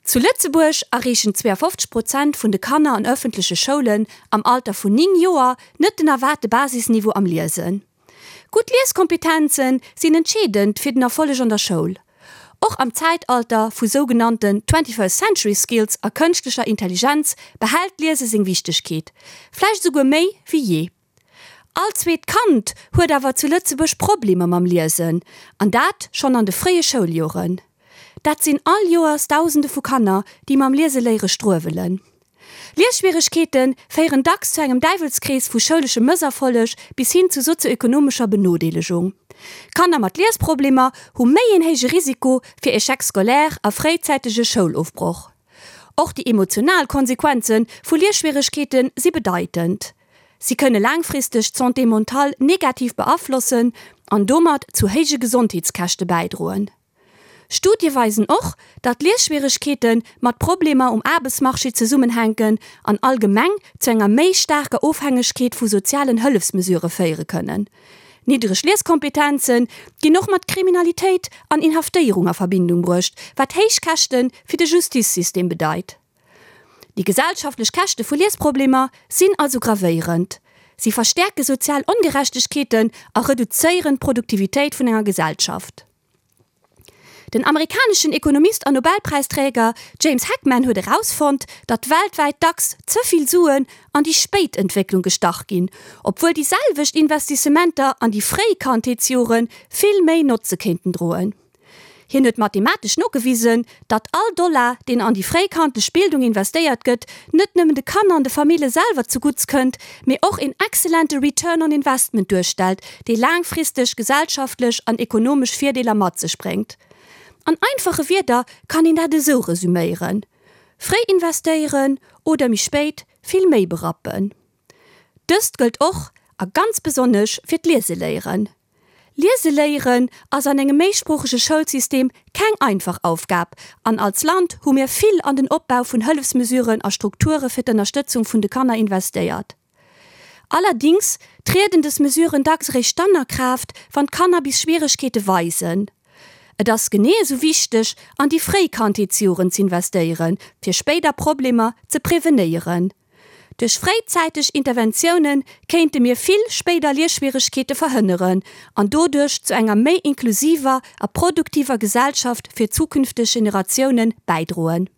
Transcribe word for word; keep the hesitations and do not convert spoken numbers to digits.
Zu Lëtzebuerg erreechen zweeafofzeg Prozent vun de Kanner an ëffentleche Schoulen am Alter vun néng Joer net den erwaarte Basisniveau am Liesen. Gutt Lieskompetenze sinn entscheedend fir den Erfolleg an der Schoul. Och am Zäitalter vu sougenannten Twenty-first century skills a kënschtlecher Intelligenz behält d'Liese seng Wichtegkeet, vläicht esouguer méi wéi jee. All zweet Kand huet awer zu Lëtzebuerg Problemer mam Liesen, an dat schonn an de fréie Schouljoren. Dat sinn all Joers Dausende vu Kanner, déi mam Lieseléiere struewelen. Liesschwieregkeete féieren dacks zu engem Däiwelskrees vu schouleschem Mësserfolleg bis hin zu sozioekonomescher Benodeelegung. Kanner mat Liesproblemer hu méi een héije Risiko fir Échec scolaire a fréizäitege Schoulofbroch. Och déi emotional Konsequenze vu Liesschwieregkeete si bedeitend. Si kënne laangfristeg d'Santé mentale negativ beaflossen an domat zu héije Gesondheetskäschte bäidroen. Studie weisen och, datt Liesschwieregkeete mat Problemer um Aarbechtsmarché zesummenhänken an allgemeng zu enger méi staarker Ofhängegkeet vu sozialen Hëllefsmesurë féiere kënnen. Niddereg Lieskompetenze ginn och mat Kriminalitéit an Inhaftéierung a Verbindung bruecht, wat héich Käschte fir de Justizsystem bedeit. Déi gesellschaftlech Käschte vu Liesproblemer sinn also gravéierend. Si verstäerke sozial Ongerechtegkeeten a reduzéieren d'Produktivitéit vun enger Gesellschaft. Den amerikaneschen Ekonomist an Nobelpräisträger James Heckman huet erausfonnt, datt weltwäit dacks ze vill Suen an déi spéit Entwécklung gestach ginn, obwuel déi selwecht Investissementer an déi fréi Kandheetsjore vill méi Notze kéinten droen. Hien huet mathematesch nogewisen, datt all Dollar, deen an déi fréikandlech Bildung investéiert gëtt, net nëmmen de Kanner an de Famille selwer zugutts kënnt, mee och een excellente Return on Investment duerstellt, dee laangfristeg gesellschaftlech an ekonomesch Virdeeler mat sech bréngt. An einfache Wierder kann een dat esou resüméieren, Fréi investéieren oder méi spéit vill méi berappen. Dëst gëllt och a ganz besonnesch fir d'Lieseléieren. Liese léieren ass an engem méisproochege Schoulsystem keng einfach Aufgab an als Land hu mir vill an den Opbau vun Hëllefsmesuren a Strukture fir d'Ënnerstëtzung vun de Kanner investéiert. Allerdings trieden des Mesuren dacks eréischt dann a Kraaft, wann d'Kanner bis Schwieregkeete weisen. Et ass genee esou wichteg, an déi fréi Kandheetsjoren z'investéieren, fir spéider Problemer ze prevenéieren. Duerch fréizäiteg Interventioune kéinte mir vill spéider Liesschwieregkeete verhënneren an doduerch zu enger méi inklusiver a produktiver Gesellschaft fir zukünfteg Generatioune bäidroen.